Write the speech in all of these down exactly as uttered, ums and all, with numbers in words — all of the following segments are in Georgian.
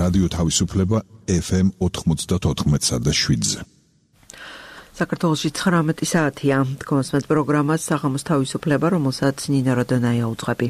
რადიო თავისუფლება ეფ ემ ოთხმოცდაოთხ და შვიდზე. საქართველოში ცხრამეტი საათია. თქვენს პროგრამას საღამოს თავისუფლება, რომელსაც ნინა როდონაია უძღვები.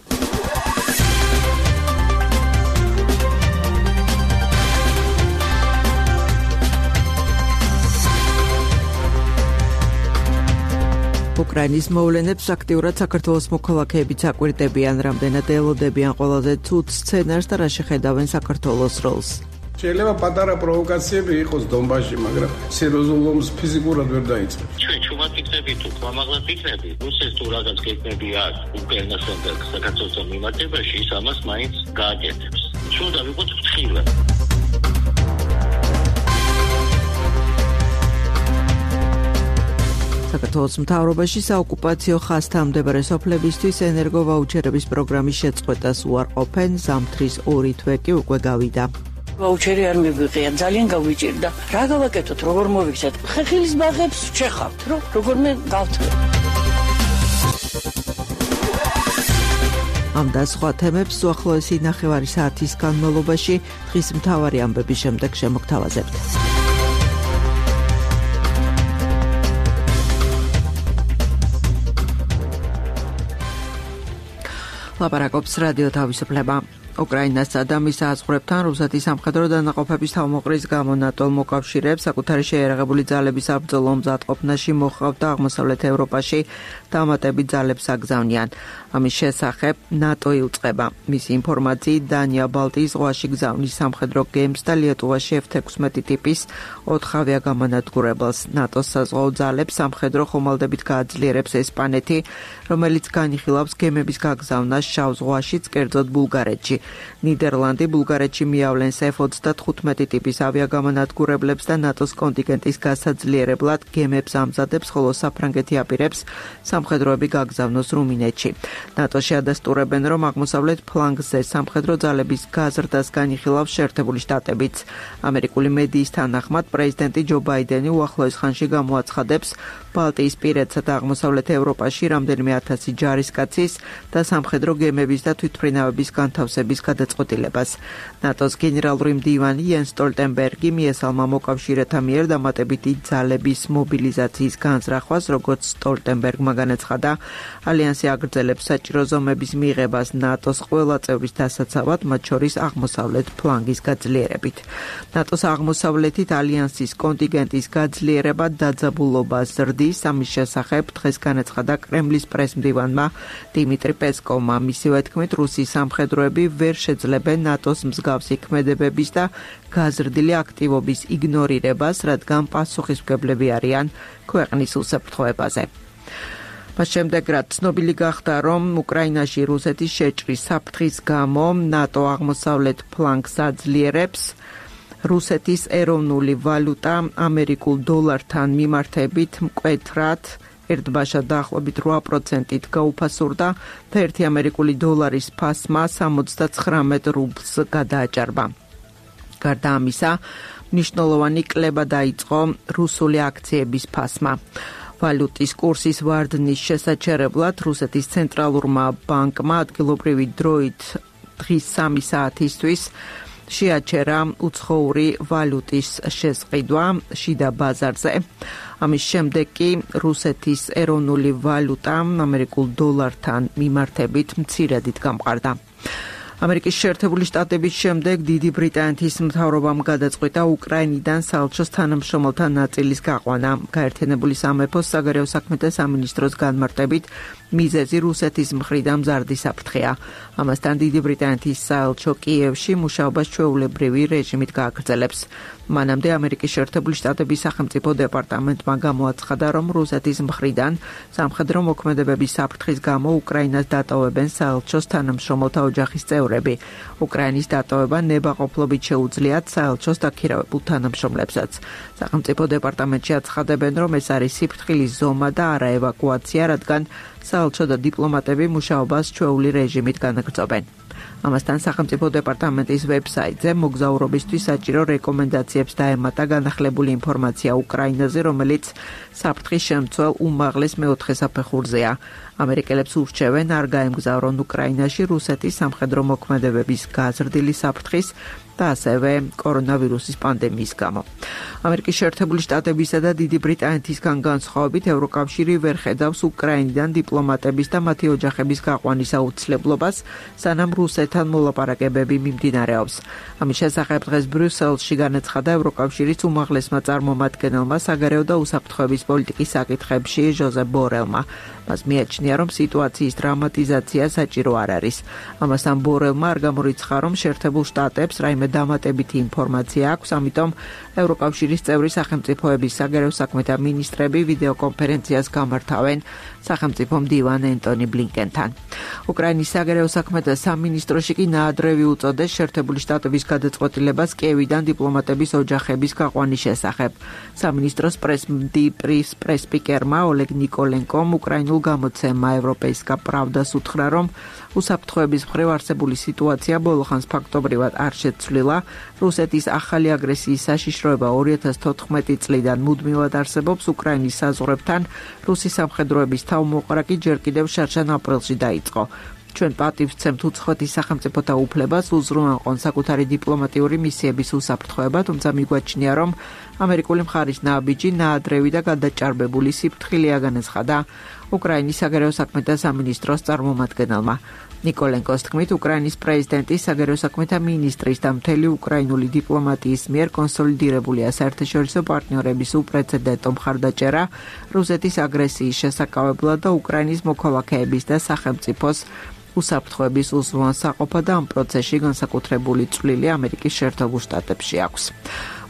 უკრაინის მოვლენებს აქტიურად საქართველოს მოქალაქეებიც აკვირდებიან, რამდენად ელოდებიან ყველაზე ცუდ სცენარს და რა შეხედავენ საქართველოს როლს. შეიძლება პატარა პროვოკაციები იყოს დონბასში, მაგრამ სერიოზულ ომს ფიზიკურად ვერ დაიწყებს. ჩვენ ჩუმად იქნებით თუ ქვამაღლად იქნებით, რუსეთს თუ რაღაც გეგმები აქვს უკრაინასთან და საქართველოსთან მიმართებაში, ის ამას მაინც გააკეთებს. უნდა ვიყოთ ფრთხილად. საქართველოს მთავრობაში საოკუპაციო ხაზთან მდებარე სოფლებისთვის ენერგოვაუჩერების პროგრამის შეწყვეტას უარყოფენ, ზამთრის ორი თვე კი უკვე გავიდა. ვაუჩერი არ მიგვიღია, ძალიან გავიჭირდა. რა გავაკეთოთ, როგორ მოვიქცეთ? ხეხილის ბაღებს ვჩეხავთ, რომ როგორმე გავთქვი. ამ და სხვა თემებს უახლოესი ნახევარი საათის განმავლობაში დღის მთავარი ამბების შემდეგ შემოგთავაზებთ. ლაპარაკობს რადიო თავისუფლება. უკრაინასა და მის საზღვრებთან რუსეთის სამხედრო დანაყოფების თავმოყრის გამო ნატო მოკავშირეებს საკუთარი შეიარაღებული ძალების საბრძოლო მზადყოფნაში მოჰყავთ და აღმოსავლეთ ევროპაში დამატებით ძალებს აგზავნიან. ამის შესახებ ნატო იუწყება. მისი ინფორმაციით დანია ბალტიის ზღვაში გზავნის სამხედრო გემს და ლიეტუვაში ეფ ექვსმეტი ტიპის ოთხ ავიაგამანადგურებელს. ნატოს საზღვაო ძალებს სამხედრო ხომალდებით გააძლიერებს ესპანეთი, რომელიც განიხილავს გემების გაგზავნას შავ ზღვაშიც, კერძოდ ბულგარეთში. ნიდერლანდი ბულგარეთში მიავლენს ეფ ოცდათხუთმეტი ტიპის ავიაგამანადგურებლებს და ნატოს კონტინგენტის გასაძლიერებლად გემებს ამზადებს, ხოლო საფრანგეთი აპირებს სამხედროები გაგზავნოს რუმინეთში. ნატოში ადასტურებენ, რომ აღმოსავლეთ ფლანგზე სამხედრო ძალების გაზრდას განიხილავს შეერთებული შტატებიც. ამერიკული მედიის თანახმად პრეზიდენტი ჯო ბაიდენი უახლოეს ხანში გამოაცხადებს ბალტიისპირეთსა და აღმოსავლეთ ევროპაში რამდენიმე ათასი ჯარისკაცის და სამხედრო გემების და თვითმფრინავების განთავსების გადაწყვეტილებას. ნატოს გენერალური მდივანი იენს სტოლტენბერგი მიესალმა მოკავშირეთა მიერ დამატებითი ძალების მობილიზაციის განზრახვას, როგორც სტოლტენბერგმა განაცხადა, ალიანსი აგრძელებს საჭირო ზომების მიღებას ნატოს ყველა წევრის დასაცავად, მათ შორის აღმოსავლეთ ფლანგის გაძლიერებით. ნატოს აღმოსავლეთით ალიანსის კონტინგენტის გაძლიერება დაძაბულობას ზრდის. ამის შესახებ დღეს განაცხადა კრემლის პრესმდივანმა დიმიტრი პესკოვმა. მისივე თქმით, რუსის სამხედროები ვერ შეძლებენ ნატოს მსგავსი ქმედებების და გაზრდილი აქტივობის იგნორირებას, რადგან პასუხისმგებლები არიან ქვეყნის უსაფრთხოებაზე. მას შემდეგ, რაც ცნობილი გახდა, რომ უკრაინაში რუსეთის შეჭრის საფრთხის გამო ნატო აღმოსავლეთ ფლანგს აძლიერებს, რუსეთის ეროვნული ვალუტა ამერიკულ დოლართან მიმართებით მკვეთრად ერთბაშად დაახლოებით რვა პროცენტით გაუფასურდა და ერთი ამერიკული დოლარის ფასმა სამოცდაცხრამეტ რუბლს გადააჭარბა. გარდა ამისა, მნიშვნელოვანი კლება დაიწყო რუსული აქციების ფასმა. ვალუტის კურსის ვარდნის შესაჩერებლად რუსეთის ცენტრალურმა ბანკმა ადგილობრივი დროით დღის სამი საათისთვის შეაჩერა უცხოური ვალუტის შესყიდვა შიდა ბაზარზე. ამის შემდეგ კი რუსეთის ეროვნული ვალუტა ამერიკულ დოლართან მიმართებით მცირედით გამყარდა. ამერიკის შეერთებული შტატების შემდეგ დიდი ბრიტანეთის მთავრობამ გადაწყვიტა უკრაინიდან საელჩოს თანამშრომელთა ნაწილის გაყვანა. გაერთიანებული სამეფოს საგარეო საქმეთა სამინისტროს განმარტებით მიზეზი რუსეთის მხრიდან მზარდი საფრთხეა. ამასთან დიდი ბრიტანეთის საელჩო კიევში მუშაობას ჩვეულებრივი რეჟიმით გააგრძელებს. მანამდე ამერიკის შეერთებული შტატების სახელმწიფო დეპარტამენტმა გამოაცხადა, რომ რუსეთის მხრიდან სამხედრო მოქმედებების საფრთხის გამო უკრაინას დატოვებენ საელჩოს თანამშრომელთა ოჯახის წევრები. უკრაინის დატოვება ნებაყოფლობით შეუძლიათ საელჩოს დაქირავებულ თანამშრომლებსაც. სახელმწიფო დეპარტამენტში აცხადებენ, რომ ეს არის სიფრთხილის ზომა და არა ევაკუაცია, რადგან საელჩო და დიპლომატები მუშაობას ჩვეული რეჟიმით განაგრძობენ. ამასთან სახელმწიფო დეპარტამენტის ვებსაიტზე მოგზაურობისთვის საჭირო რეკომენდაციებს დაემატა განახლებული ინფორმაცია უკრაინაზე, რომელიც საფრთხის შემცველ უმაღლეს მეოთხე საფეხურზეა. ამერიკელებს ურჩევენ არ გაემგზავრონ უკრაინაში რუსეთის სამხედრო მოქმედებების გაზრდილი საფრთხის და ასევე კორონავირუსის პანდემიის გამო. ამერიკის შეერთებული შტატებისა და დიდი ბრიტანეთისგან განსხვავებით ევროკავშირი ვერ ხედავს უკრაინიდან დიპლომატების და მათი ოჯახების გაყვანის აუცილებლობას, სანამ რუსეთთან მოლაპარაკებები მიმდინარეობს. ამის შესახებ დღეს ბრიუსელში განაცხადა ევროკავშირის უმაღლესმა წარმომადგენელმა საგარეო და უსაფრთხოების პოლიტიკის საკითხებში ჟოზეფ ბორელმა. მას მიაჩნია, რომ სიტუაციის დრამატიზაცია საჭირო არ არის. ამასთან ბორელმა არ გამორიცხა, რომ შეერთებულ შტატებს რაიმე დამატებითი ინფორმაცია აქვს, ამიტომ ევროკავშირის წევრი სახელმწიფოების საგარეო საქმეთა მინისტრები ვიდეო კონფერენციას გამართავენ სახელმწიფო მდივან ენტონი ბლინკენთან. უკრაინის საგარეო საქმეთა სამინისტროში კი ნაადრევი უწოდეს შეერთებული შტატების გადაწყვეტილებას კიევიდან დიპლომატების ოჯახების გაყვანის შესახებ. სამინისტროს პრეს-სპიკერმა ოლეგ ნიკოლენკომ უკრაინულ გამოცემა ევროპეისკა პრავდას უთხრა, რომ უსაფრთხოების მხრივ არსებული სიტუაცია ბოლოხანს ფაქტობრივად არ შეცვლილა. რუსეთის ახალი აგრესიის საშიშროება ორი ათას თოთხმეტი წლიდან მუდმივად არსებობს უკრაინის საზღვრებთან. რუსი სამხედროების თავმოყრა კი ჯერ კიდევ შარშან აპრილში დაიწყო. ჩვენ პატივს ვცემთ უცხოეთის სახელმწიფოთა უფლებას უზრუნველყონ საკუთარი დიპლომატიური მისიების უსაფრთხოება, თუმცა მიგვაჩნია, რომ ამერიკული მხარის ნაბიჯი ნაადრევი და გადაჭარბებული სიფრთხილეა, განაცხადა უკრაინის საგარეო საქმეთა სამინისტროს წარმომადგენელმა. ნიკოლენკოს თქმით, უკრაინის პრეზიდენტის საგარეო საქმეთა მინისტრის და მთელი უკრაინული დიპლომატიის მიერ კონსოლიდირებულია საერთაშორისო პარტნიორების უპრეცედენტო მხარდაჭერა რუსეთის აგრესიის შესაკავებლად და უკრაინის მოქალაქეების და სახელმწიფოს უსაფრთხოების უზრუნველსაყოფა და ამ პროცესში განსაკუთრებული წვლილი ამერიკის შეერთებულ შტატებში აქვს.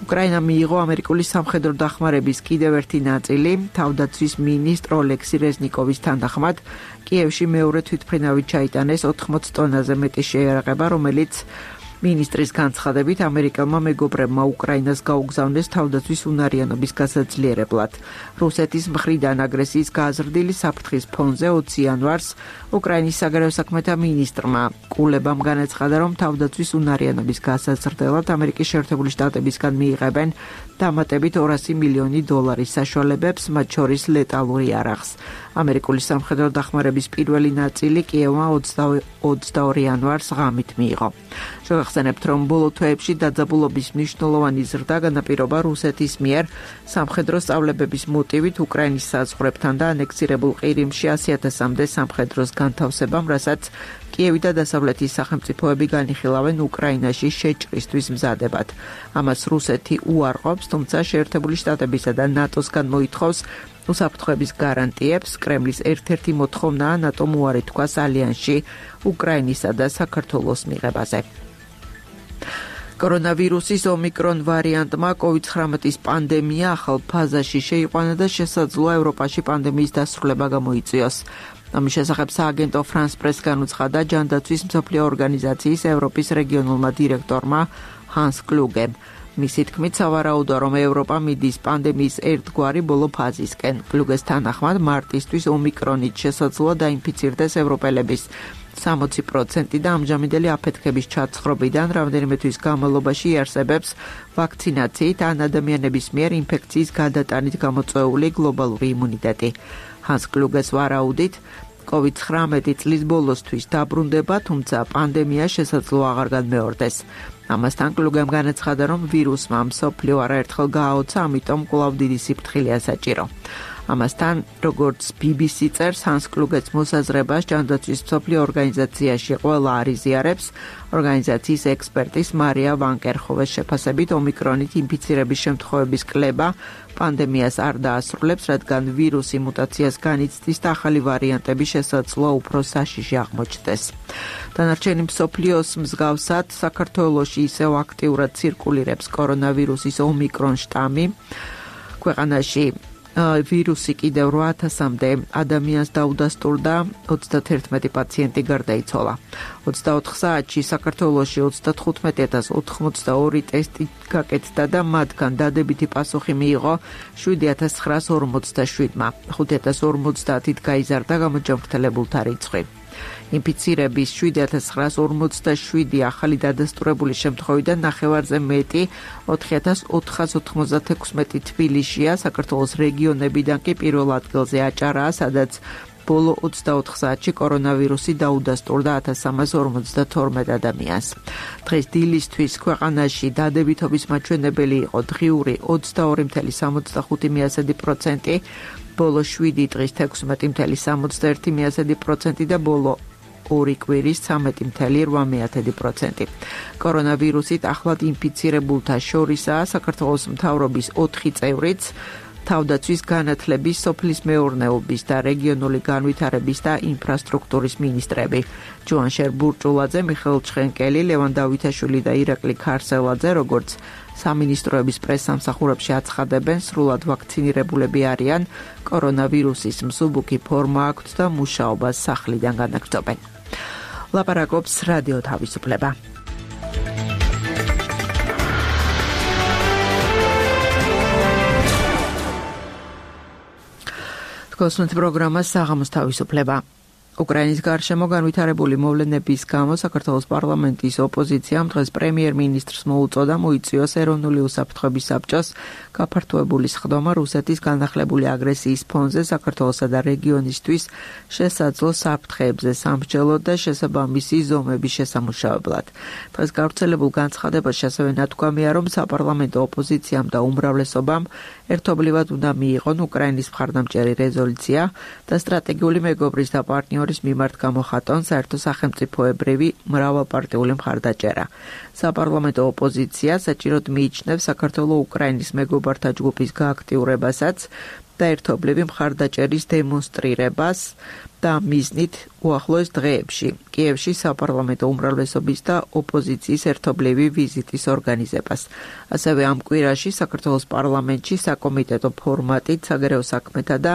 უკრაინა მიიღო ამერიკული სამხედრო დახმარების კიდევ ერთი ნაწილი. თავდაცვის მინისტრ ოლექსი რეზნიკოვის თანახმად კიევში მეორე თვითმფრინავი ჩაიტანეს ოთხმოცი ტონაზე მეტი შეიარაღება, რომელიც მინისტრის განცხადებით ამერიკელმა მეგობრებმა უკრაინას გაუგზავნეს თავდაცვის უნარიანობის გასაძლიერებლად. რუსეთის მხრიდან აგრესიის გაზრდილი საფრთხის ფონზე ოცი იანვარს უკრაინის საგარეო საქმეთა მინისტრმა კულებამ განაცხადა, რომ თავდაცვის უნარიანობის გასაზრდელად ამერიკის შეერთებული შტატებისგან მიიღებენ დამატებით ორასი მილიონი დოლარის საშუალებებს, მათ შორის ლეტალური არაღს. ამერიკული სამხედრო დახმარების პირველი ნაწილი კიევმა ოცდაორი იანვარს ღამით მიიღო. შევახსენებთ, რომ ბოლო თვეებში დაძაბულობის მნიშვნელოვანი ზრდა განაპირობა რუსეთის მიერ სამხედრო სწავლებების მოტივით უკრაინის საზღვრებთან და ანექსირებულ ყირიმში ასი ათასამდე სამხედროს განთავსებამ, რასაც კიევი და დასავლეთის სახელმწიფოები განიხილავენ უკრაინაში შეჭრისთვის მზადებად. ამას რუსეთი უარყოფს, თუმცა შეერთებული შტატებისა და ნატოსგან მოითხოვს უსაფრთხოების გარანტიებს. კრემლის ერთ-ერთი მოთხოვნაა ნატომ უარი თქვას ალიანსში უკრაინისა და საქართველოს მიღებაზე. კორონავირუსის ომიკრონ ვარიანტმა კოვიდ ცხრამეტის პანდემია ახალ ფაზაში შეიყვანა და შესაძლოა ევროპაში პანდემიის დასრულება გამოიწვიოს. ამის შესახებ სააგენტო France Press განუცხადა ჯანდაცვის მსოფლიო ორგანიზაციის ევროპის რეგიონულმა დირექტორმა ჰანს კლუგემ. მისი თქმით, სავარაუდოა, რომ ევროპა მიდის პანდემიის ერთგვარი ბოლო ფაზისკენ. კლუგეს თანახმად, მარტისთვის ომიკრონით შესაძლოა დაინფიცირდეს ევროპელების სამოცი პროცენტი და ამჟამინდელი აფეთქების ჩაცხრობიდან რამდენიმე თვის განმავლობაში იარსებებს ვაქცინაციით ან ადამიანების მიერ ინფექციის გადატანით გამოწვეული გლობალური იმუნიტეტი. ჰანს კლუგეს ვარაუდით, კოვიდ ცხრამეტი წლის ბოლოსთვის დაბრუნდება, თუმცა პანდემია შესაძლოა აღარ განმეორდეს. ამასთან კლუგემ განაცხადა, რომ ვირუსმა მსოფლიო არაერთხელ გააოცა, ამიტომ კვლავ დიდი სიფრთხილეა საჭირო. ამასთან, როგორც ბი ბი სი წერს, ჰანს კლუგეც მოსაზრებას ჯანდაცვის მსოფლიო ორგანიზაციაში ყველა არ იზიარებს. ორგანიზაციის ექსპერტის მარია ვანკერჰოვეს შეფასებით, ომიკრონით ინფიცირების შემთხვევების კლება პანდემიას არ დაასრულებს, რადგან ვირუსი მუტაციას განიცდის და ახალი ვარიანტები შესაძლოა უფრო საშიში აღმოჩნდეს. დანარჩენი მსოფლიოს მსგავსად საქართველოში ისევ აქტიურად ცირკულირებს კორონავირუსის ომიკრონ შტამი. ქვეყანაში ვირუსი კიდევ რვა ათასამდე ადამიანს დაუდასტურდა, ოცდათერთმეტი პაციენტი გარდაიცვალა. ოცდაოთხ საათში საქართველოში ოცდათხუთმეტი ათას ოთხმოცდაორი ტესტი გაკეთდა და მათგან დადებითი პასუხი მიიღო შვიდი ათას ცხრაას ორმოცდაშვიდმა. ხუთი ათას ორმოცდაათით გაიზარდა გამოჯანმრთელებულთა რიცხვი. ინფიცირების შვიდი ათას ცხრაას ორმოცდაშვიდი ახალი დადასტურებული შემთხვევიდან ნახევარზე მეტი ოთხი ათას ოთხას ოთხმოცდათექვსმეტი თბილისშია. საქართველოს რეგიონებიდან კი პირველ ადგილზე აჭარაა, სადაც ბოლო ოცდაოთხ საათში კორონავირუსი დაუდასტურდა ათას სამას ორმოცდათორმეტ ადამიანს. დღეს დილისთვის ქვეყანაში დადებითობის მაჩვენებელი იყო დღიური ოცდაორი წამყვანი სამოცდახუთი პროცენტი, ბოლო შვიდი დღის თექვსმეტი სამოცდაერთი პროცენტი და ბოლო ორი კვირის ცამეტი ორმოცდაოთხი პროცენტი. კორონავირუსით ახლად ინფიცირებულთა შორისაა საქართველოს მთავრობის ოთხი წევრიც, თავდაცვის განათლების, სოფლის მეურნეობის და რეგიონული განვითარების და ინფრასტრუქტურის მინისტრები ჯუანშერ ბურჭულაძე, მიხეილ ჩხენკელი, ლევან დავითაშვილი და ირაკლი ქარსელაძე, როგორც სამინისტროების პრესსამსახურებში აცხადებენ, სრულად ვაქცინირებულები არიან, კორონავირუსის მსუბუქი ფორმა აქვთ და მუშაობას სახლიდან განაგრძობენ. ლაპარაკობს რადიო თავისუფლება. კოსმეთ პროგრამა საღამოს თავისუფლება. უკრაინის გარშემო განვითარებული მოვლენების გამო საქართველოს პარლამენტის ოპოზიციამ დღეს პრემიერ-მინისტრს მოუწოდა მოიწვიოს ეროვნული უსაფრთხოების საბჭოს გაფართოებული სხდომა რუსეთის განახლებული აგრესიის ფონზე საქართველოსა და რეგიონისთვის შესაძლო საფრთხეებზე სამსჯელოდ და შესაბამისი ზომების შესამუშავებლად. დღეს გავრცელებულ განცხადებაში ასევე ნათქვამია, რომ საპარლამენტო ოპოზიციამ და უმრავლესობამ ერთობლივად უნდა მიიღონ უკრაინის მხარდამჭერი რეზოლუცია და სტრატეგიული მეგობრის და პარტნიორის მიმართ გამოხატონ საერთო სახელმწიფოებრივი მრავალპარტიული მხარდაჭერა. საპარლამენტო ოპოზიცია საჭიროდ მიიჩნევს საქართველოს უკრაინის მეგობართა ჯგუფის გააქტიურებასაც და ერთობლივი მხარდაჭერის დემონსტრირებას და მიზნით უახლოეს დღეებში კიევში საპარლამენტო უმრავლესობის და ოპოზიციის ერთობლივი ვიზიტის ორგანიზებას. ასევე ამ კვირაში საქართველოს პარლამენტში საკომიტეტო ფორმატით საგარეო საქმეთა და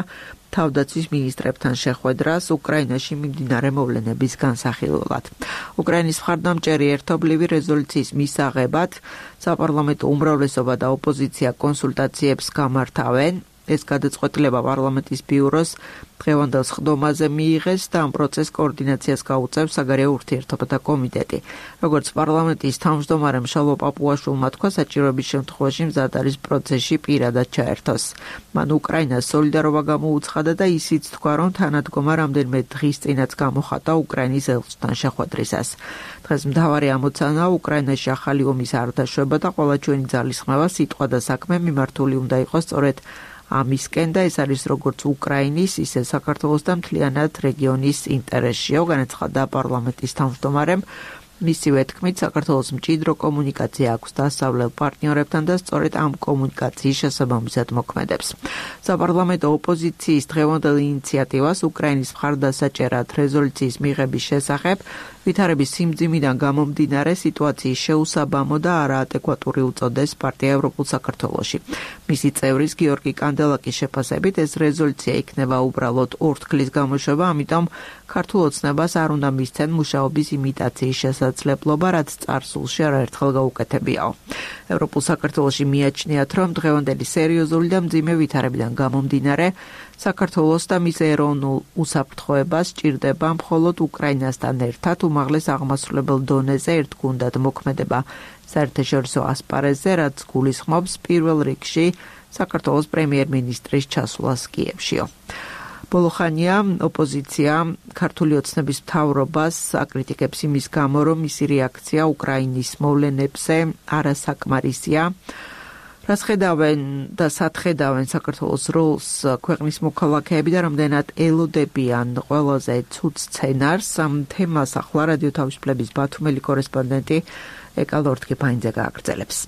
თავდაცვის მინისტრებთან შეხვედრას უკრაინაში მიმდინარე მოვლენების განსახილველად. უკრაინის მხარდამჭერი ერთობლივი რეზოლუციის მისაღებად საპარლამენტო უმრავლესობა და ოპოზიცია კონსულტაციებს გამართავენ. ეს გადაწყვეტილება პარლამენტის ბიუროს დღევანდელ სხდომაზე მიიღეს და ამ პროცესს კოორდინაციას გაუწევს საგარეო ურთიერთობათა კომიტეტი. როგორც პარლამენტის თავმჯდომარემ შალვა პაპუაშვილმა თქვა, საჭიროების შემთხვევაში მზად არის პროცესში პირადად ჩაერთოს. მან უკრაინას სოლიდარობა გამოუცხადა და ისიც თქვა, რომ თანადგომა რამდენიმე დღის წინაც გამოხატა უკრაინის ელჩთან შეხვედრისას. დღეს მთავარი ამოცანაა უკრაინაში ახალი ომის არ დაშვება და ყველა ჩვენი ძალისხმევა, სიტყვა და საქმე მიმართული უნდა იყოს სწორედ ამისკენ და ეს არის როგორც უკრაინის, ისე საქართველოს და მთლიანად რეგიონის ინტერესშია, განაცხადა პარლამენტის თავმჯდომარემ. მისივე თქმით, საქართველოს მჭიდრო კომუნიკაცია აქვს დასავლელ პარტნიორებთან და სწორედ ამ კომუნიკაციის შესაბამისად მოქმედებს. საპარლამენტო ოპოზიციის დღევანდელ ინიციატივას უკრაინის მხარდასაჭერად რეზოლუციის მიღების შესახებ ვითარების სიმძიმიდან გამომდინარე სიტუაციის შეუსაბამო და არაადეკვატური უწოდეს პარტია ევროპულ საქართველოში. მისი წევრის გიორგი კანდელაკის შეფასებით ეს რეზოლუცია იქნება უბრალოდ ორთქლის გამოშვება, ამიტომ ქართულ ოცნებას არ უნდა მისცენ მუშაობის იმიტაციის შესაძლებლობა, რაც წარსულში არაერთხელ გაუკეთებიაო. ევროპულ საქართველოში მიაჩნიათ, რომ დღევანდელი სერიოზული და მძიმე ვითარებიდან გამომდინარე საქართველოს და მის ეროვნულ უსაფრთხოებას ჭირდება მხოლოდ უკრაინასთან ერთად უმაღლეს აღმასრულებელ დონეზე ერთგუნდად მოქმედება საერთაშორისო ასპარეზზე, რაც გულისხმობს პირველ რიგში საქართველოს პრემიერ-მინისტრის ჩასვლას კიევშიო. ბოლოხანია ოპოზიცია ქართული ოცნების მთავრობას აკრიტიკებს იმის გამო, რომ მისი რეაქცია უკრაინის მოვლენებზე არასაკმარისია. რას ხედავენ და სათხედავენ საქართველოს როლს ქვეყნის მოქალაქეები და რამდენად ელოდებიან ყველაზე ცუდ სცენარს. ამ თემას ახლა რადიო თავისუფლების ბათუმელი კორესპონდენტი ეკალ ორთქიფაინძე გააგრძელებს.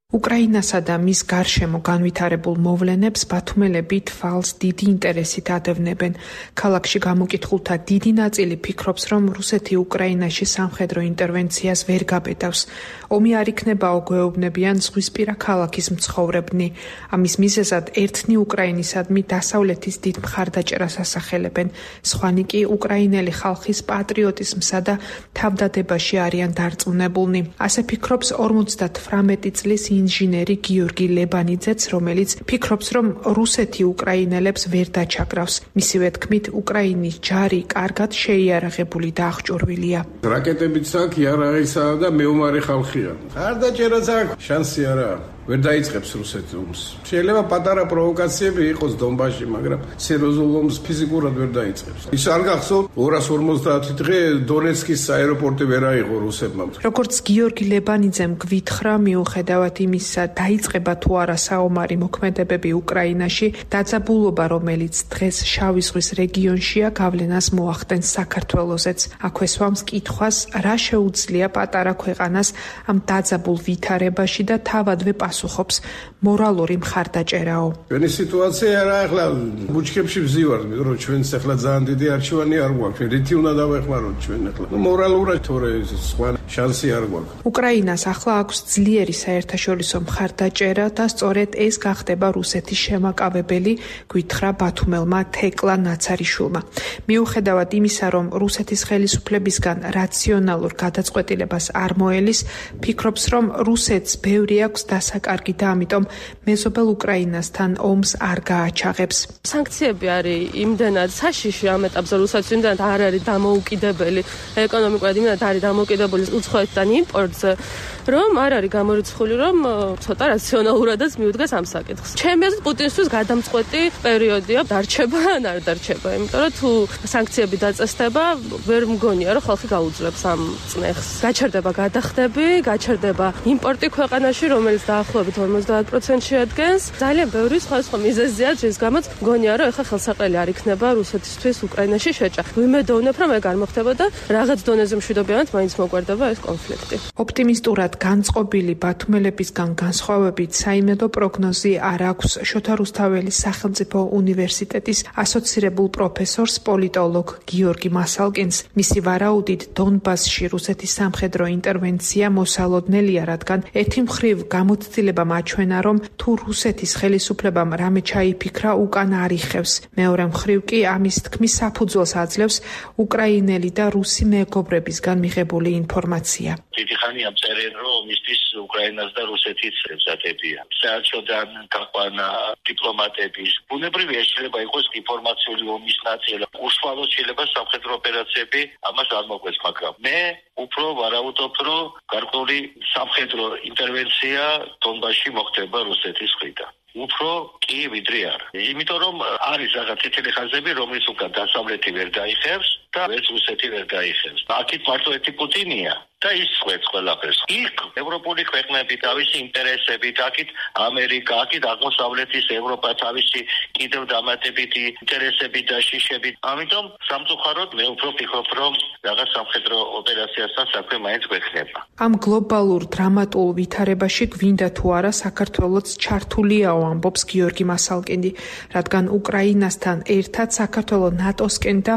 უკრაინასა და მის გარშემო განვითარებულ მოვლენებს ბათუმელები თვალს დიდი ინტერესით ადევნებენ. ქალაქში გამოკითხულთა დიდი ნაწილი ფიქრობს, რომ რუსეთი უკრაინაში სამხედრო ინტერვენციას ვერ გაბედავს. ომი არ იქნებაო გვეუბნებიან ზღვისპირა ქალაქის მცხოვრებნი. ამის მიზეზად ერთნი უკრაინისადმი დასავლეთის დიდ მხარდაჭერას ასახელებენ. სხვანი კი უკრაინელი ხალხის პატრიოტიზმსა და თავდადებაში არიან დარწმუნებულნი. ასე ფიქრობს ორმოცდათვრამეტი წლის ინჟინერი გიორგი ლებანიძეც, რომელიც ფიქრობს, რომ რუსეთი უკრაინელებს ვერ დაჩაგრავს. მისივე თქმით, უკრაინის ჯარი კარგად შეიარაღებული და აღჭურვილია. რაკეტებიც აქვს, იარაღისა და მეომარი ხალხია. არ დაჭერაც აქვს, შანსი არა. ვერ დაიწყებს რუსეთი ომს. შეიძლება პატარა პროვოკაციები იყოს დონბასში, მაგრამ სერიოზულ ომს ფიზიკურად ვერ დაიწყებს. ის არ გახსოვთ ორას ორმოცდაათი დღე დონეცკის აეროპორტი ვერ აიღო რუსებმა. როგორც გიორგი ლებანიძემ გვითხრა, მიუხედავად იმისა, დაიწყება თუ არა საომარი მოქმედებები უკრაინაში, დაძაბულობა, რომელიც დღეს შავი ზღვის რეგიონშია, გავლენას მოახდენს საქართველოსეც. აქვე სვამს კითხვას, რა შეუძლია პატარა ქვეყანას ამ დაძაბულ ვითარებაში და თავადვე პასუხობს მორალური მხარდაჭერაო. ჩვენი სიტუაცია რა ახლა ბუჩქებში ვზივართ, რომ ჩვენს ახლა ძალიან დიდი არჩევანი არ გვაქვს. ჩვენ რითი უნდა დავეხმაროთ ჩვენ ახლა? მორალურად თორე სხვა შანსი არ გვაქვს. უკრაინას ახლა აქვს ძლიერი საერთაშორისო მხარდაჭერა და სწორედ ეს გახდება რუსეთის შემაკავებელი, გვითხრა ბათუმელმა თეკლა ნაცარიშვილმა. მიუხედავად იმისა, რომ რუსეთის ხელისუფლებისგან რაციონალურ გადაწყვეტილებას არ მოელის, ფიქრობს, რომ რუსეთს ბევრი აქვს დასაკარგი და ამიტომ მეზობელ უკრაინასთან ომს არ გააჩაღებს. სანქციები არის იმდენად საშიში ამ ეტაპზე რუსეთს, იმდენად არ არის დამოუკიდებელი ეკონომიკურად, იმდენად არის დამოუკიდებელი უცხოეთთან იმპორტზე, რომ არ არის გამორიცხული, რომ ცოტა რაციონალურადაც მიუდგას ამ საკითხს. ჩემი აზრით პუტინისთვის გადამწყვეტი პერიოდია, დარჩება ან არ დარჩება, იმიტომ რომ თუ სანქციები დაწესდება, ვერ მგონია, რომ ხალხი გაუძლებს ამ წნეხს. გაჩერდება გადახდები, გაჩერდება იმპორტი ქვეყანაში, რომელიც დაახლოებით ორმოცდაათ პროცენტს შეადგენს. ძალიან ბევრი სხვადასხვა მიზეზია, რის გამოც მგონია, რომ ეხლა ხელსაყრელი არ იქნება რუსეთისთვის უკრაინაში შეჭრა. ვიმედოვნებ, რომ ეგ არ მოხდება და რაღაც დონეზე მშვიდობიანად მაინც მოგვარდება ეს კონფლიქტი. ოპტიმისტურად განწყობილი ბათუმელებისგან განსხვავებით საიმედო პროგნოზი არ აქვს შოთა რუსთაველის სახელმწიფო უნივერსიტეტის ასოცირებულ პროფესორს პოლიტოლოგ გიორგი მასალკინს. მისი ვარაუდით დონბასში რუსეთის სამხედრო ინტერვენცია მოსალოდნელია, რადგან ერთი მხრივ გამოცდილებამ აჩვენა, რომ თუ რუსეთის ხელისუფლებამ რამე ჩაიფიქრა, უკან არ იხევს. მეორე მხრივ კი ამის თქმის საფუძველს აძლევს უკრაინელი და რუსი მეგობრებისგან მიღებული ინფორმაცია. დიდი ხანია წერენ, რომ მისთვის უკრაინას და რუსეთის ემზადებიან. საერთოდან გაყვანა დიპლომატების. ბუნებრივია შეიძლება იყოს ინფორმაციული ომის ნაწილი. უშუალოდ შეიძლება სამხედრო ოპერაციები ამას არ მოგვეც, მაგრამ მე უფრო ვარაუდობ, რომ გარკვეული სამხედრო ინტერვენცია დონბასში მოხდება რუსეთის მხრიდან. უფრო კი ვიდრე არ. იმიტომ რომ არის რაღაც წითელი ხაზები, რომლის უკან დასავლეთი ვერ დაიხევს და ვერც რუსეთი ვერ დაიხევს. აქეთ მარტო ერთი პუტინია და ის ხვეც ყველაფერს. იქ ევროპული ქვეყნები თავისი ინტერესებით, აქეთ ამერიკა, აქეთ აღმოსავლეთის ევროპა თავისი კიდევ დამატებითი ინტერესებით და შიშებით. ამიტომ სამწუხაროდ მე უფრო ვფიქრობ, რომ რაღაც სამხედრო ოპერაციასთან საქმე მაინც გვექნება. ამ გლობალურ დრამატულ ვითარებაში გვინდა თუ არა საქართველოც ჩართულიაო, ამბობს გიორგი მასალკინი, რადგან უკრაინასთან ერთად საქართველო ნატოსკენ და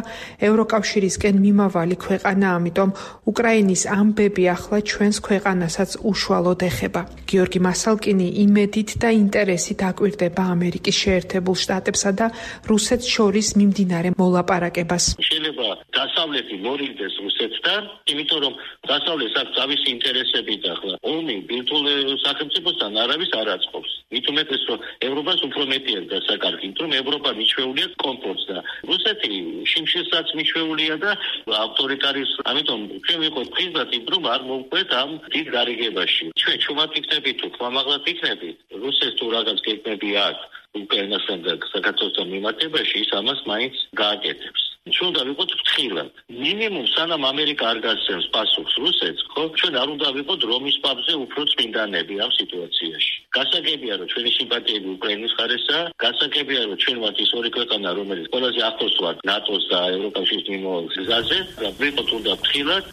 ევროკავშირისკენ მიმავალი ქვეყანა, ამიტომ უკრაინის ამბები ახლა ჩვენს ქვეყანასაც უშუალოდ ეხება. გიორგი მასალკინი იმედით და ინტერესით აკვირდება ამერიკის შეერთებულ შტატებსა და რუსეთს შორის მიმდინარე მოლაპარაკებას. შეიძლება დასავლეთი მორიგდეს რუსეთთან, იმიტომ რომ დასავლეთს აქვს თავისი ინტერესებით ახლა. ომი ბირთვულ სახელმწიფოსთან არავის არ აწყობს. მით უმეტეს, რომ ევროპას უფრო მეტი აქვს დასაკარგი, იმიტომ რომ ევროპა მიჩვეულია კომფორტს და რუსეთი შიმშილსაც მიჩვეულია და ავტორიტარიზმს. ამიტომ ჩვენ ვიყოთ ხიზად იმ რომ არ მოვყვეთ ამ დიდ გარიგებაში. ჩვენ ჩუმად იქნებით თუ ხმამაღლად იქნებით, რუსეთს თუ რაღაც გეგმები აქვს უკრაინასთან და საქართველოსთან მიმართებაში, ის ამას მაინც გააკეთებს. ჩვენ უნდა ვიყოთ ფრთხილად. მინიმუმ სანამ ამერიკა არ გასცემს პასუხს რუსეთს, ხო, ჩვენ არ უნდა ვიყოთ რომის პაპზე უფრო წმინდანები ამ სიტუაციაში. გასაგებია, რომ ჩვენი სიმპათიები უკრაინის მხარესაა, გასაგებია, რომ ჩვენ ვართ ის ორი ქვეყანა, რომელიც ყველაზე ახლოს ვართ ნატოს და ევროკავშირის მიმავალ გზაზე, და ვიყოთ უნდა ფრთხილად.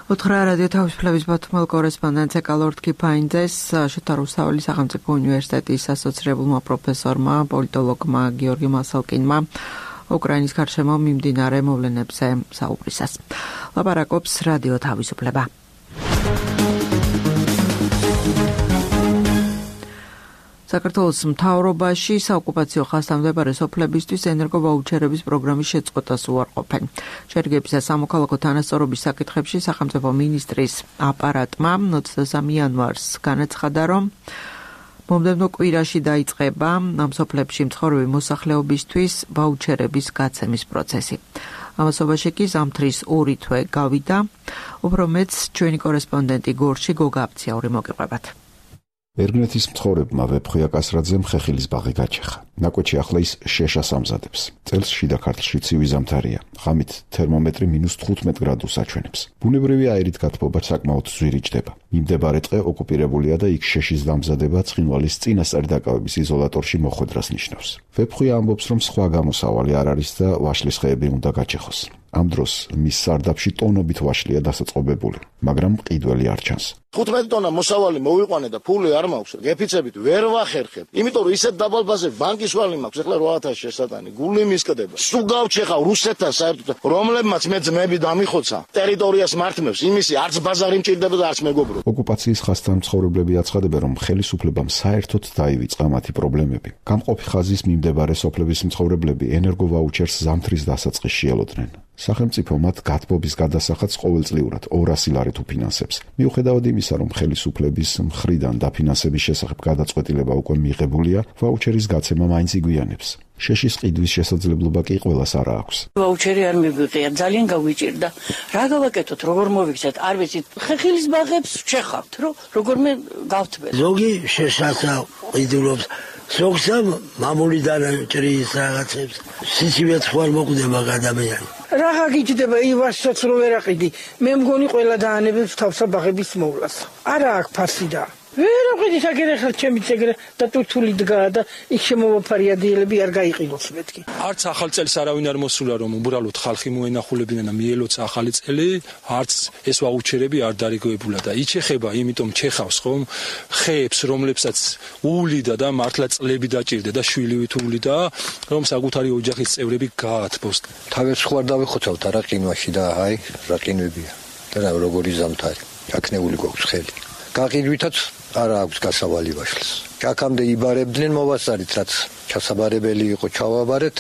უთხრა რადიო თავისუფლების ბათუმელ კორესპონდენტზე კალორდ კიფაინძეს, შოთა რუსთაველის სახელმწიფო უნივერსიტეტის ასოცირებულმა პროფესორმა, პოლიტოლოგმა გიორგი მასალკინმა უკრაინის გარშემო მიმდინარე მოვლენებზე საუბრისას. ლაპარაკობს რადიო თავისუფლება. საქართველოს მთავრობაში საოკუპაციო ხაზთან მდებარე სოფლებისთვის ენერგოვაუჩერების პროგრამის შეწყვეტას უარყოფენ. შერიგების და სამოქალაქო თანასწორობის საკითხებში სახელმწიფო მინისტრის აპარატმა ოცდამესამე იანვარს განაცხადა, რომ მომდევნო კვირაში დაიწყება ამ სოფლებში მცხოვრები მოსახლეობისთვის ვაუჩერების გაცემის პროცესი. ამასობაში კი ზამთრის ორი თვე გავიდა. უფრო მეტს ჩვენი კორესპონდენტი გორში გოგა აბციაური მოგიყვებათ. ერგნეთის მცხოვრებმა ვეფხვია კასრაძემ ხეხილის ბაღი გაჩეხა. ნაკვეთში ახლა ის შეშას ამზადებს. წელს შიდა ქართლში ცივი ზამთარია. ღამით თერმომეტრი მინუს თხუთმეტ გრადუსს აჩვენებს. ბუნებრივი აირით გათბობა საკმაოდ ზვირიჭდება. მიმდებარე ტყე ოკუპირებულია და იქ შეშის დამზადება ცხინვალის წინასწარი დაკავების იზოლატორში მოხვედრას ნიშნავს. ვეფხვია ამბობს, რომ სხვა გამოსავალი არ არის და ვაშლის ხეები უნდა გაჩეხოს. ამ დროს მის სარდაფში ტონობით ვაშლია დასაწყობებული, მაგრამ მყიდველი არ ჩანს. თხუთმეტ ტონა მოსავალი მოვიყვანე და ფული არ მაქვს, გეფიცებით ვერ ვახერხებ. იმიტომ რომ ისეთ დაბალბაზე ბანკის ვალი მაქვს, ახლა რვა ათასი შესატანი, გული მისკდება. სულ გავჩეხავ რუსეთთან საერთოდ, რომლებმაც მე ძმები დამიხოცა, ტერიტორიას მართმევს, იმისი არც ბაზარი მჭირდება და არც მეგობრო. ოკუპაციის ხასთან მცხოვრებლები აცხადებენ, რომ ხელისუფლებამ საერთოდ დაივიწყა მათი პრობლემები. გამყოფი ხაზის მიმდებარე სოფლების მცხოვრებლები ენერგოვაუჩერს ზამთრის დასაწყისში ელოდნენ. სახელმწიფო მათ გათბობის გადასახადს ყოველწლიურად ორასი ლარით უფინანსებს. მიუხედავად იმისა, რომ ხელისუფლების მხრიდან დაფინანსების შესახებ გადაწყვეტილება უკვე მიღებულია, ვაუჩერის გაცემა მაინც იგვიანებს. შეშის ყიდვის შესაძლებლობა კი ყველას არ აქვს. ვაუჩერი არ მიგვიყია, ძალიან გავიჭირდა. რა გავაკეთოთ, როგორ მოვიქცეთ, არ ვიცით. ხეხილის ბაღებს ვჩეხავთ, რომ როგორმე გავთბეთ. ზოგი შეშასა ყიდულობს, ზოგსა მამულიდან ჭრის რაღაცებს. სიცივეც ხوار მოკვდება ადამიანი. რაღა გიჭდება ივასსაც რო ვერ აყიდი. მე მგონი ყველა დაანებებს თავსა ბაღების მოვლას. არა აქ ფასი და ვერ აყიდი საკერე ხელ ჩემი ეგრე და თუთული დგა და იქ შემოვაფარია დილები არ გაიყიდოს მეთქი. არც ახალ წელს არავინ არ მოსულა რომ უბრალოდ ხალხი მოენახულებინა და მიელოცა ახალი წელი, არც ეს ვაუჩერები არ დარიგოებულა და იჩეხება, იმიტომ ჩეხავს ხომ ხეებს, რომლებსაც უვლიდა და მართლა წლები დაჭირდა და შვილივით უვლიდა, რომ საკუთარი ოჯახის წევრები გაათბოს. თავებს ხوار დავიხოცავთ არა ყინვაში და აი რა ყინვებია და რა როგორი ზამთარი. აკნეული გვაქვს ხელი. გაყიდვითაც არა აქვს გასავალი ვაშლს. აქამდე იბარებდნენ მოვასწარით, რაც ჩასაბარებელი იყო, ჩავაბარეთ,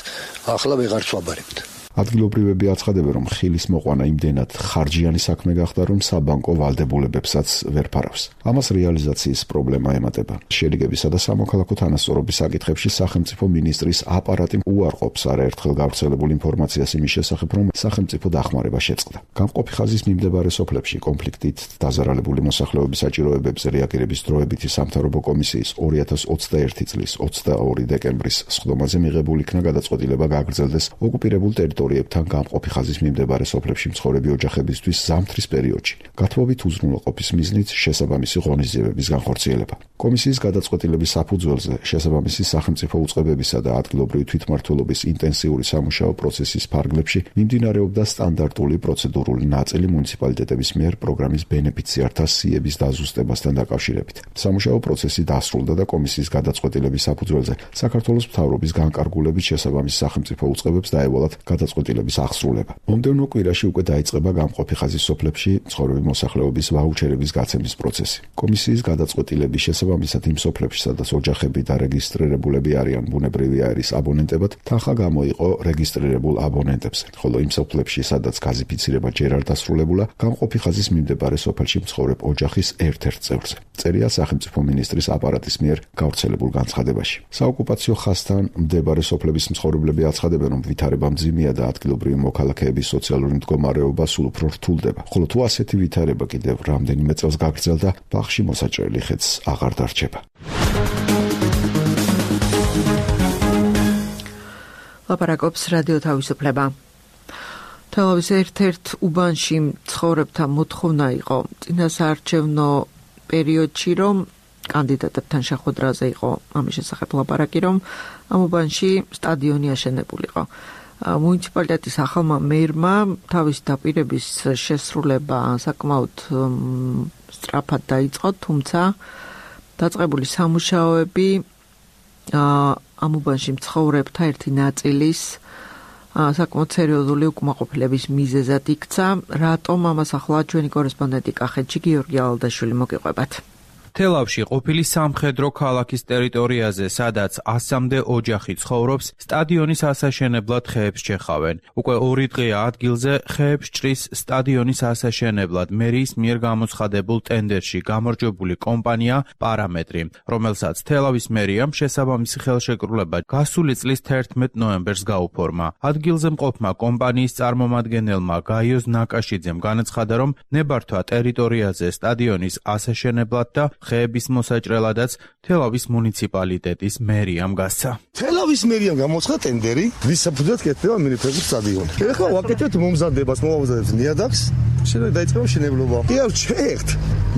ახლა ვეღარც ვაბარებთ. ადგილობრივები აცხადებენ, რომ ხილის მოყვანა იმდენად ხარჯიანი საქმე გახდა, რომ საბანკო ვალდებულებებსაც ვერ ფარავს. ამას რეალიზაციის პრობლემა ემატება. შერიგებისა და სამოქალაქო თანასწორობის საკითხებში სახელმწიფო მინისტრის აპარატი უარყოფს არაერთხელ გავრცელებულ ინფორმაციას იმის შესახებ, რომ სახელმწიფო დახმარება შეწყდა. გამყოფი ხაზის მიმდებარე სოფლებში კონფლიქტით დაზარალებული მოსახლეობის საჭიროებებზე რეაგირების დროებითი სამთავრობო კომისიის ორი ათას ოცდაერთი წლის ოცდაორი დეკემბრის სხდომაზე მიღებულ იქნა გადაწყვეტილება გააგრძელდეს ოკუპირებულ ტერიტორიებში თან გამყოფი ხაზის მიმდებარე სოფლებში მცხოვრები ოჯახებისთვის ზამთრის პერიოდში. გათბობით უზრუნველყოფის მიზნით შესაბამისი ღონისძიებების განხორციელება. კომისიის გადაწყვეტილების საფუძველზე შესაბამისი სახელმწიფო უწყებებისა და ადგილობრივი თვითმმართველობის ინტენსიური სამუშაო პროცესის ფარგლებში მიმდინარეობდა სტანდარტული პროცედურული ნაწილი მუნიციპალიტეტების მიერ პროგრამის ბენეფიციართა სიების დაზუსტებასთან დაკავშირებით. სამუშაო პროცესი დასრულდა და კომისიის გადაწყვეტილების საფუძველზე საქართველოს მთავრობის განკარგულებით შესაბამისი სახელმწიფო უწყებებს დაევალათ გადაწყვეტილების აღსრულება. მომდევნო კვირაში უკვე დაიწყება გამყოფი ხაზის სოფლებში მცხოვრები მოსახლეობის ვაუჩერების გაცემის პროცესი. კომისიის გადაწყვეტილების შესაბამისად იმ სოფლებში, სადაც ოჯახები დარეგისტრირებულები არიან ბუნებრივი აირის აბონენტებად, თანხა გამოიყო რეგისტრირებულ აბონენტებზე, ხოლო იმ სოფლებში, სადაც გაზიფიცირება ჯერ არ დასრულებულა, გამყოფი ხაზის მიმდებარე სოფელში მცხოვრებ ოჯახის ერთ-ერთ წევრზე. წერია სახელმწიფო მინისტრის აპარატის მიერ გავრცელებულ განცხადებაში. საოკუპაციო ხაზთან მდებარე სოფლების მცხოვრებლები აცხადებენ, რომ ვითარება მძიმეა და ადგილობრივი მოქალაქეების სოციალური მდგომარეობა სულ უფრო რთულდება. ხოლო თუ ასეთი ვითარება კიდევ რამდენიმე წელს გაგრძელდა, ბაღში მოსაჭრელი ხეც აღარ დარჩება. ლაპარაკობს რადიო თავისუფლება. თელავის ერთ-ერთ უბანში მცხოვრებთა მოთხოვნა იყო წინასაარჩევნო პერიოდში, რომ კანდიდატებთან შეხვედრაზე იყო ამის შესახებ ლაპარაკი, რომ ამ უბანში სტადიონი აშენებულიყო. მუნიციპალიტეტის ახალმა მერმა თავის დაპირების შესრულება საკმაოდ სწრაფად დაიწყო, თუმცა დაწყებული სამუშაოები ამ უბანში მცხოვრებთა ერთი ნაწილის საკმაოდ სერიოზული უკმაყოფილების მიზეზად იქცა. რატომ ამას ახლა ჩვენი კორესპონდენტი კახეთში გიორგი ალდაშვილი მოგიყვებათ. თელავში ყოფილი სამხედრო ქალაქის ტერიტორიაზე, სადაც ასამდე ოჯახი ცხოვრობს, სტადიონის ასაშენებლად ხეებს ჩეხავენ. უკვე ორი დღეა ადგილზე ხეებს ჭრის სტადიონის ასაშენებლად მერიის მიერ გამოცხადებულ ტენდერში გამარჯვებული კომპანია პარამეტრი, რომელსაც თელავის მერიამ შესაბამისი ხელშეკრულება გასული წლის თერთმეტ ნოემბერს გაუფორმა. ადგილზე მყოფმა კომპანიის წარმომადგენელმა გაიოს ნაკაშიძემ განაცხადა, რომ ნებართვა ტერიტორიაზე სტადიონის ასაშენებლად და ხეების მოსაჭრელადაც თელავის მუნიციპალიტეტის მერიამ გასცა. თელავის მერიამ გამოცხადა ტენდერი, ვის საფუძვლად კეთდება მინიფეკუს სტადიონი. ეხლა ვაკეთებთ მომზადებას, მოვამზადებთ ნიადაგს, შეიძლება დაიწყება მშენებლობა. კი არ შეერთ,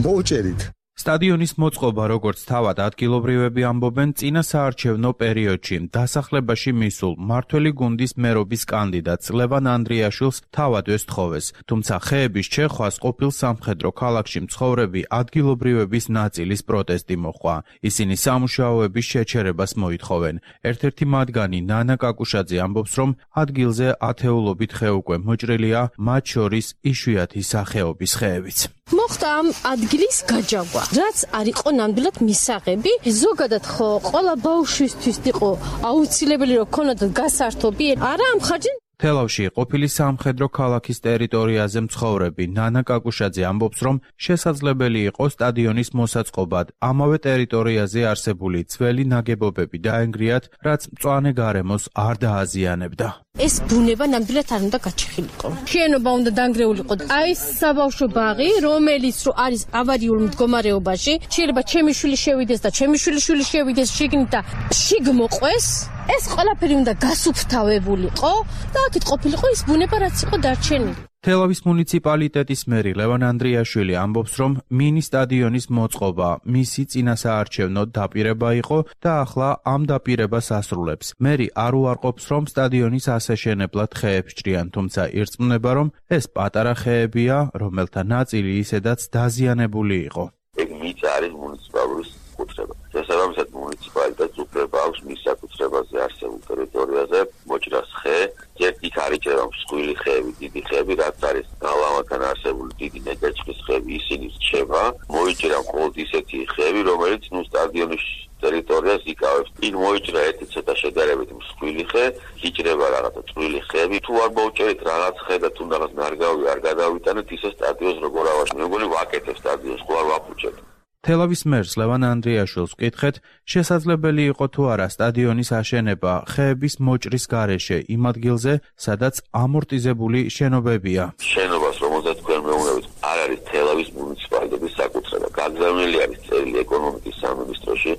მოვჭერით. სტადიონის მოწყობა, როგორც თავად ადგილობრივები ამბობენ, წინა საარჩევნო პერიოდში დასახლებაში მისულ მართველი გუნდის მერობის კანდიდატს ლევან ანდრიაშვილს თავად ესთხოვეს, თუმცა ხეების ჩეხვას ყოფილ სამხედრო ქალაქში მცხოვრები ადგილობრივების ნაწილის პროტესტი მოჰყვა. ისინი სამუშაოების შეჩერებას მოითხოვენ. ერთ-ერთი მათგანი ნანა კაკუშაძე ამბობს, რომ ადგილზე ათეულობით ხე უკვე მოჭრილია, მათ შორის იშვიათი სახეობის ხეებიც. მოხდა ამ ადგილის გაჯაგვა, რაც არ იყო ნამდვილად მისაღები. ზოგადად ხო ყველა ბავშვისთვის იყო აუცილებელი რომ ქონოდათ გასართობი, არა ამ ხარჯი. თელავში ყოფილი სამხედრო ქალაქის ტერიტორიაზე მცხოვრები ნანა კაკუშაძე ამბობს, რომ შესაძლებელი იყო სტადიონის მოსაწყობად ამავე ტერიტორიაზე არსებული ძველი ნაგებობები დაენგრიათ, რაც მწვანე გარემოს არ დააზიანებდა. ეს ბუნება ნამდვილად არ უნდა გაჩეხილიყო. შენობა უნდა დანგრეულიყო. აი ეს საბავშვო ბაღი, რომელიც რო არის ავარიულ მდგომარეობაში, შეიძლება ჩემი შვილი შევიდეს და ჩემი შვილი შვილი შევიდეს შიგნით და შიგ მოყვეს. ეს ყველაფერი უნდა გასუფთავებულიყო და აქეთ ყოფილიყო ის ბუნება, რაც იყო დარჩენილი. თელავის მუნიციპალიტეტის მერი ლევან ანდრიაშვილი ამბობს, რომ მინი სტადიონის მოწყობა მისი წინასაარჩევნო დაპირება იყო და ახლა ამ დაპირებას ასრულებს. მერი არ უარყოფს, რომ სტადიონის ასაშენებლად ხეებს ჭრიან, თუმცა ირწმუნება, რომ ეს პატარა ხეებია, რომელთა ნაწილი ისედაც დაზიანებული იყო. ეგ მიწა არის მუნიციპალური კუთრება. შესაბამისად მუნიციპალიტეტს უფლება აქვს მის საკუთრებაზე არსებულ ტერიტორიაზე მოჭრას ხე. ჯერ იქ არიჭერა მსხვილი ხეები, დიდი ხეები, რაც არის გალავანთან არსებული დიდი ნეგაჭრის ხეები, ისინი რჩება. მოიჭრა მხოლოდ ისეთი ხეები, რომელიც ნუ სტადიონის ტერიტორიას იკავებს. იქ მოიჭრა ერთი ცოტა შედარებით მსხვილი ხე, იჭრება რაღაცა წვრილი ხეები. თუ არ მოვჭერით რაღაც ხე და თუ რაღაც ნარგავი არ გადავიტანეთ, ისე სტადიონს როგორ ავაშ. მე მგონი ვაკეთებ სტადიონს, ხო არ ვაფუჭებ. თელავის მერს ლევან ანდრიაშვილს ვკითხეთ, შესაძლებელი იყო თუ არა სტადიონის აშენება ხეების მოჭრის გარეშე იმ ადგილზე, სადაც ამორტიზებული შენობებია. შენობას, რომელზეც თქვენ მეუბნებით, არ არის თელავის მუნიციპალიტეტის საკუთრება. გაგზავნილი არის წერილი ეკონომიკის სამინისტროში,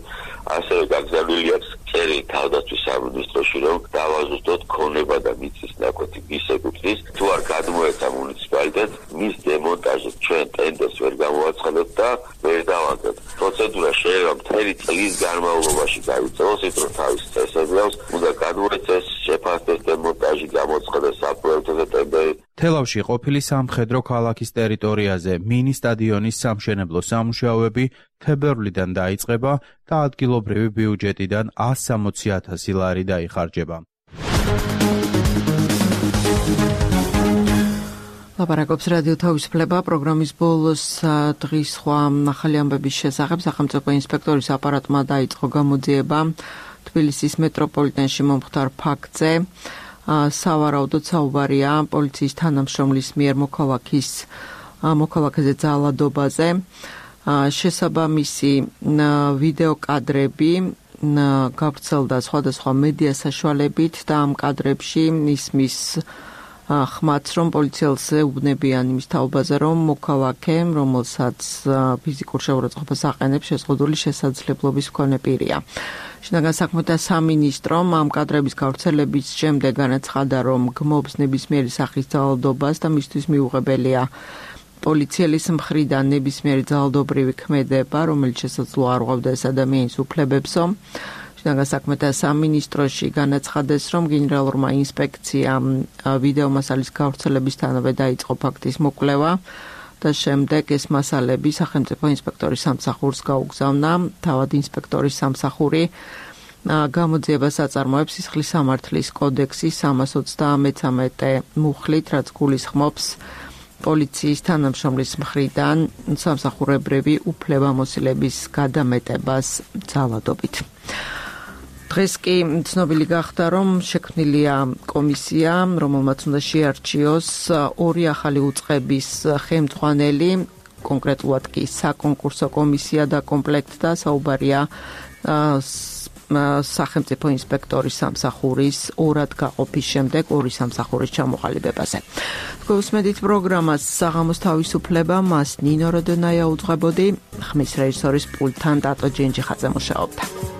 ასევე გაგზავნილი აქვს წერილი თავდაცვის სამინისტროში, რომ დავაზუსტოთ ქონება და მიწის ნაკვეთი ვის ეკუთვნის. თუ არ გადმოეცა მუნიციპალიტეტს, მის დემონტაჟს ჩვენ ტენდერს ვერ გამოვაცხადებთ და ვერ დავანებთ. პროცედურა შეიძლება მთელი წლის განმავლობაში დაიწყოს, ის რომ თავის წესები აქვს, უნდა გადმოეცეს შეფასდეს დემონტაჟი, გამოცხადდეს საპროექტო ტენდერი. თელავში ყოფილი სამხედრო ქალაქის ტერიტორიაზე მინი სტადიონის სამშენებლო სამუშაოები თებერვლიდან დაიწყება და ადგილობრივი ბიუჯეტიდან ას სამოცი ათასი ლარი დაიხარჯება. ლაპარაკობს რადიო თავისუფლება პროგრამის ბოლოს დღის სხვა ახალი ამბების შესახებ. სახელმწიფო ინსპექტორის აპარატმა დაიწყო გამოძიება თბილისის მეტროპოლიტენში მომხდარ ფაქტზე. სავარაუდოდ საუბარია პოლიციის თანამშრომლის მიერ მოქალაქის მოქალაქეზე ძალადობაზე. შესაბამისი ვიდეო კადრები გავრცელდა სხვადასხვა მედია საშუალებით და ამ კადრებში ისმის ხმაც, რომ პოლიციელს ეუბნებიან იმის თაობაზე, რომ მოქალაქე, რომელსაც ფიზიკურ შეურაცხყოფას აყენებს, შეზღუდული შესაძლებლობის მქონე პირია. შინაგან საქმეთა სამინისტრომ ამ კადრების გავრცელების შემდეგ განაცხადა, რომ გმობს ნებისმიერი სახის ძალადობას და მისთვის მიუღებელია პოლიციელის მხრიდან ნებისმიერი ძალადობრივი ქმედება, რომელიც შესაძლოა არ უყვებდა ეს ადამიანის უფლებებსო. შინაგან საქმეთა სამინისტროში განაცხადეს, რომ გენერალურმა ინსპექციამ ვიდეო მასალის გავრცელებისთანავე დაიწყო ფაქტის მოკვლევა და შემდეგ ეს მასალები სახელმწიფო ინსპექტორის სამსახურს გაუგზავნა. თავად ინსპექტორის სამსახური გამოძიებას აწარმოებს სისხლის სამართლის კოდექსის სამას ოცდამეცამეტე მუხლით, რაც გულისხმობს პოლიციის თანამშრომლის მხრიდან სამსახურებრივი უფლებამოსილების გადამეტებას ძალადობით. დღეს კი ცნობილი გახდა, რომ შექმნილია კომისია, რომელმაც უნდა შეარჩიოს ორი ახალი უწყების ხელმძღვანელი, კონკრეტულად კი საკონკურსო კომისია და კომპლექტთა საუბარია სახელმწიფო ინსპექტორის სამსახურის ორად გაყოფის შემდეგ ორი სამსახურის ჩამოყალიბებაზე. გვესმედით პროგრამას საღამოს თავისუფლება, მას ნინო როდონაია უძღვებოდი, ხმის რეჟისორის პულტთან დატო ჯენჯიხაძე მუშაობდა.